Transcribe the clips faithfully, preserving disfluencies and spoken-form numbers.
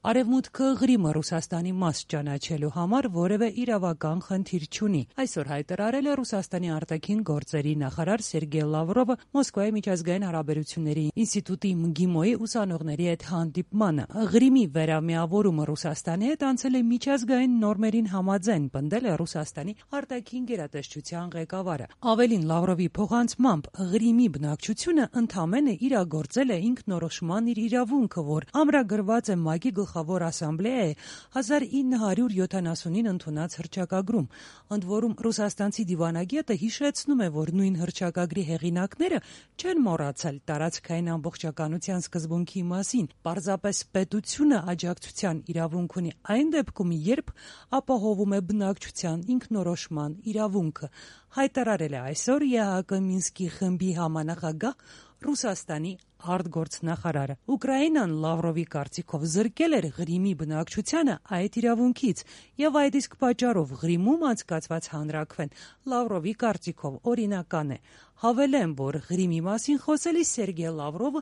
Արևմուտքը Ղրիմը Ռուսաստանի մաս ճանաչելու համար որևէ իրավական խնդիր չունի։ Այսօր հայտարարել է Ռուսաստանի արտաքին գործերի նախարար Սերգեյ Լավրովը Մոսկվայի միջազգային հարաբերությունների ինստիտուտի ՄԳԻՄՈ-ի ուսանողների հետ հանդիպմանը։ Ղրիմի վերամիավորումը Ռուսաստանի հետ անցել է միջազգային նորմերին համաձայն, պնդել է Ռուսաստանի արտաքին գերատեսչության ղեկավարը։ Ավելին, Լավրովի փոխանցմամբ, Ղրիմի բնակչությունը ընդամենը իրագործել է ինքնորոշման իր իրավունքը, որ ամրագրված է ՄԱԿ-ի Գլխավոր ասամբլեայի հազար ինը հարյուր յոթանասունին ընդունած հռչակագրում։ Ընդ որում, ռուսաստանցի դիվանագետը հիշեցնում է, որ նույն հռչակագրի հեղինակները չեն մոռացել տարածքային ամբողջականության սկզբունքի մասին։ Պարզապես պետությունը աջակցության իրավունք ունի այն դեպքում, երբ ապահովում է բնակչության ինքնորոշման իրավունքը, հայտարարել է այսօր ԵԱՀԿ Մինսկի խմբի համանախագահ Ռուսաստանի արտգործնախարարը։ Ուկրաինան Լավրովի կարծիքով զրկել էր Ղրիմի բնակչությանը այդ իրավունքից, եւ այդ իսկ պատճառով Ղրիմում անցկացված հանրաքվեն Լավրովի կարծիքով օրինական է։ Հավելեմ, որ Ղրիմի մասին խոսելիս Սերգեյ Լավրովը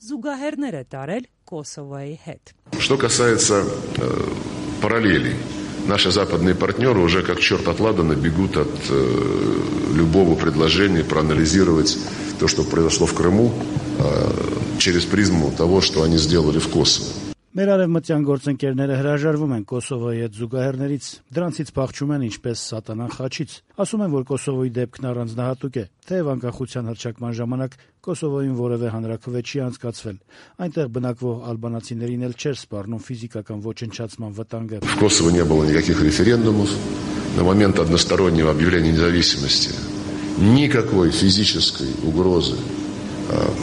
զուգահեռներ է տարել Կոսովոյի հետ։ Что касается э, параллелей. Наши западные партнеры уже как черт от ладана бегут от э, любого предложения проанализировать то, что произошло в Крыму, э, через призму того, что они сделали в Косово. Մեր արևմտյան գործընկերները հրաժարվում են Կոսովոյի հետ զուգահեռներից, դրանցից փախչում են ինչպես սատանան խաչից։ Ասում են, որ Կոսովոյի դեպքն առանձնահատուկ է, թեև անկախության հռչակման ժամանակ Կոսովոյում որևէ հանրաքվե չի անցկացվել։ Այնտեղ բնակվող ալբանացիներին էլ չէր սպառնում ֆիզիկական ոչնչացման ватанга. В Косово не было никаких референдумов. На момент одностороннего объявления независимости никакой физической угрозы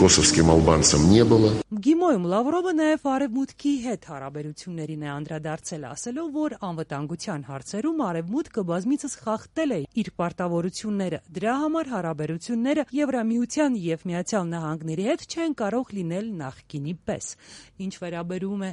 կոսովսկիմ ալբանցам не было. ՄԳԻՄՈ-ում Լավրովը նաև Արևմուտքի հետ հարաբերություններին է անդրադարձել, ասելով, որ անվտանգության հարցերում Արևմուտքը բազմիցս խախտել է իր պարտավորությունները։ Դրա համար հարաբերությունները Եվրամիության եւ Միացյալ Նահանգների հետ չեն կարող լինել նախկինի պես։ Ինչ վերաբերում է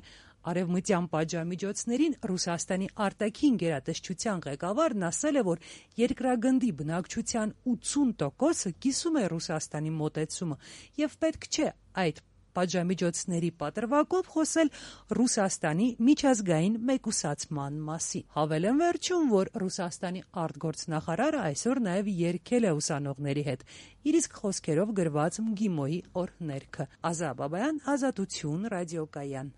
արևմտյան պատժամիջոցներին, Ռուսաստանի արտաքին գերատեսչության ղեկավարն ասել է, որ երկրագնդի բնակչության ութսուն տոկոսը կիսում է Ռուսաստանի մոտեցումը եւ պետք չէ այդ պատժամիջոցների պատրվակով խոսել Ռուսաստանի միջազգային մեկուսացման մասին։ Հավելեմ վերջում, որ Ռուսաստանի արտգործնախարարը այսօր նաև երգել է ուսանողների հետ իր իսկ խոսքերով գրված ՄԳԻՄՈ-ի օրհներգը։ Ազա Բաբայան, Ազատություն, ռադիոկայան։